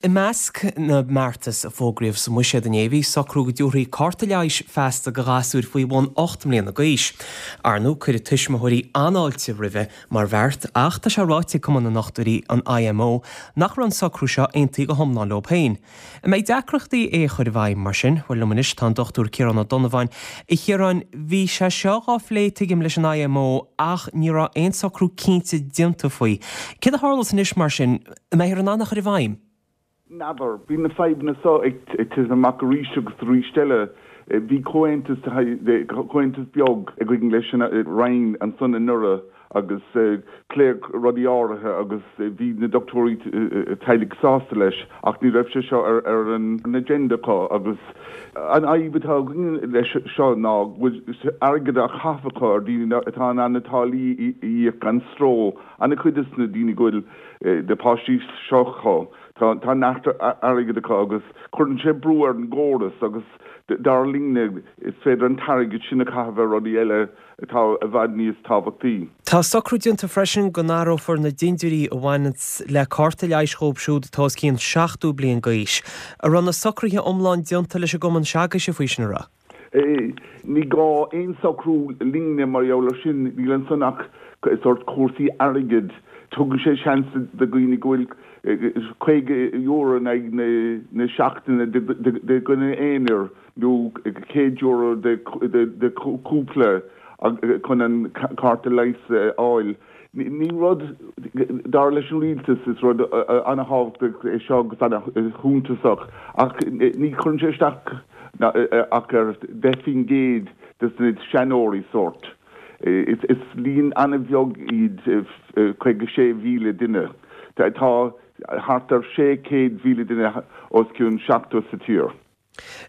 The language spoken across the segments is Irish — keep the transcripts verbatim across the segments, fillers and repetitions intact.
I measc na mbeartas a fógraíodh sa mbuiséad inné bhí socrú go dtabharfaí cárta leighis feasta do ghasúir faoi bhun ocht mbliana d'aois. Ar ndóigh cuireadh tuismitheoirí an-fháilte roimhe mar bheart ach tá sé ráite ag Cumann na nDochtúirí an IMO nach raibh an socrú seo aontaithe go hiomlán leo féin. An mbeidh deacrachtaí é a chur i bhfeidhm mar sin, bhuel liom anois tá an Dr Ciarán Ó Donnabháin. A Chiaráin bhí sé seo á phlé tuigim leis an IMO ach ní raibh aon socrú cinnte déanta faoi. Céard a tharlós anois mar sin, an mbeifear in ann é a chur i bhfeidhm? N'fheadar, bhí na fadhbanna seo ag titim amach arís agus arís eile. Bhí comhaontas comhaontas beag againn leis an Roinn ansan anuraidh agus pléadh rudaí áirithe agus bhí na dochtúirí teaghlaigh sásta leis ach ní raibh sé seo ar ar an agenda acu agus an fhadhb atá againn leis seo ná bhfuil airgead á chaitheamh acu ar daoine atá in ann na táillí a íoc gan stró an-chuid de na daoine go bhfuil na páistí seo acu. Tá tá neart airgead acu agus cuireann sé brú ar an gcóras agus dar linne is féidir an t-airgead sin a chaitheamh ar rudaí eile atá i bhfad níos tábhachtaí. Tá socrú déanta freisin go n-áireofar na dindiúirí a bhaineanns le cárta leighis dhóibh siúd atá os cionn seachtó bliain d'aois. An raibh na socruithe iomlán déanta leis an gcumann s'agaibhse faoi sin an raibh? Ní gá aon socrú linne mar gheall ar sin níl ansan ach sórt cúrsaí airgid. Tugann sé seans do dhaoine go bhfuil caoga euro in aghaidh na seachtaine de dhuine aonair nó céad euro de chúpla chun an cárta leighis a fháil. Ní rud dar leis an rialtas is rud an-tábhachtach é seo agus an-shuntasach ach ní chuireann sé isteach ach ar deich faoin gcéad de na seanóirí sórt. Is líon an-bheag iad caoga sé mhíle duine. Tá thart ar sé chéad mhíle duine os cionn seachtó sa tír.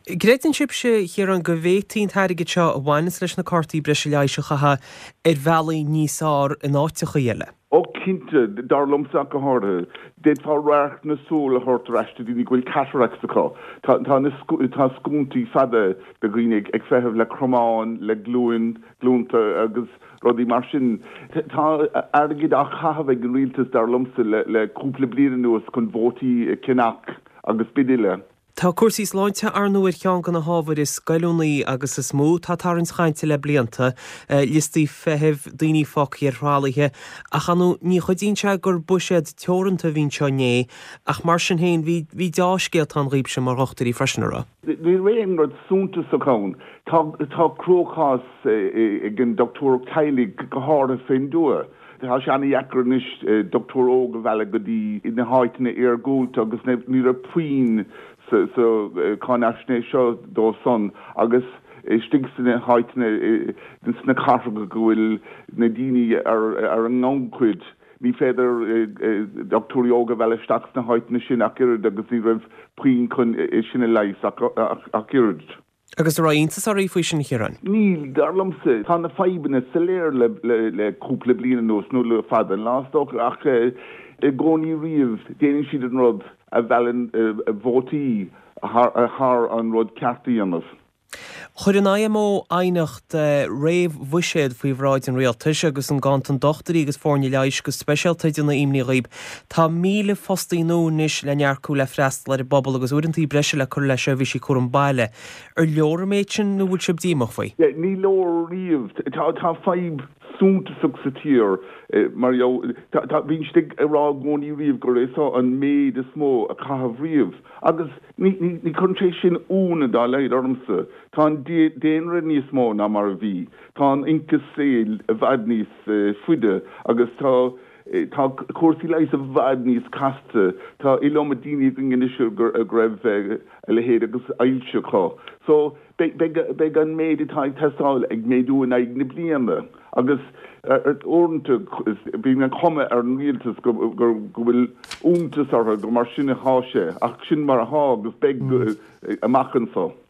Creideann sibhse a Chiaráin go bhféadfaí an t-airgead seo a bhaineanns leis na cártaí breise leighis a chaitheamh ar bhealaí níos fearr in áiteachaí eile. Ó cinnte, dar liomsa ach go háirithe. D'fhéadfá radharc na súl a thabhairt ar ais do daoine go bhfuil cataracts acu. Tá tá na tá scuainí fada de dhaoine ag feitheamh le cromáin, le glúin, glúnta agus rudaí mar sin. Tá airgead á chaitheamh ag an rialtas dar liomsa le le cúpla bliain anuas chun vótaí a cheannach agus b'in uile. Tá cúrsaí sláinte ar ndóigh ar cheann de na hábhair is goilliúnaí agus is mó atá ag tarraingt cainte le blianta, liostaí feithimh, daoine fágtha ar thralaithe, ach ar ndóigh ní chuidíonn sé gur buiséad teoranta a bhí anseo inné, ach mar sin féin bhí bhí deá-scéalta ann dhaoibhse mar dhochtúirí freisin, an raibh? Ní raibh aon rud suntasach ann. Tá tá cruachás ag an dochtúireacht teaghlaigh go háirithe fén dtuath. Tá sé an-dheacair anois dochtúir óg a mhealladh go dtí na háiteanna iargúlta agus ní raibh puinn sa sa cháinaisnéis seo dó san agus istigh sna háiteanna sna cathracha go bhfuil na daoine ar ar an ngannchuid ní féidir dochtúirí óga a mhealladh isteach sna háiteanna sin ach oiread agus ní raibh puinn chun é sin a leigheas ach ach oiread. Agus an raibh iontas oraibh faoi sin a Chiaráin? Níl, dar liomsa. Tá na fadhbanna soiléir le le le cúpla bliain anuas nó le fada an lá is dócha ach i gcónaí riamh déanann siad an rud a mheallann vótaí thar an rud ceart a dhéanamh. Chuir an IMO aighneacht réamh-bhuiséad faoi bhráid an rialtais agus an ganntan dochtúirí agus foirne leighis go speisialta ag déanamh imní dhaoib. Tá míle fostaí nua anois le n-earcú le freastal ar an bpobal agus uaireanta breise le cur le seirbhísí cúram baile. Ar leor an méid sin nó bhfuil sibh díomách faoi? Ní leor riamh. Tá tá fadhb suntasach sa tír mar gheall tá bíonn siad ag rá i gcónaí riamh gur é seo an méid is mó a caitheamh riamh agus ní ní ní chuireann sé sin ionadh dá laghad ormsa. Tá an daonra níos mó ná mar a bhí. Tá an ionchas saoil i bhfad níos faide agus tá tá cúrsaí leighis i bhfad níos casta. Tá iliomad daoine againn anois go raibh a leithéid agus ailse acu. So beidh beidh an méid atá ag teastáil ag méadú in aghaidh na bliana agus uaireanta bíonn an chuma ar an rialtas go go bhfuil iontas orthu go mar sin atá sé ach sin mar atá agus beidh amach anseo.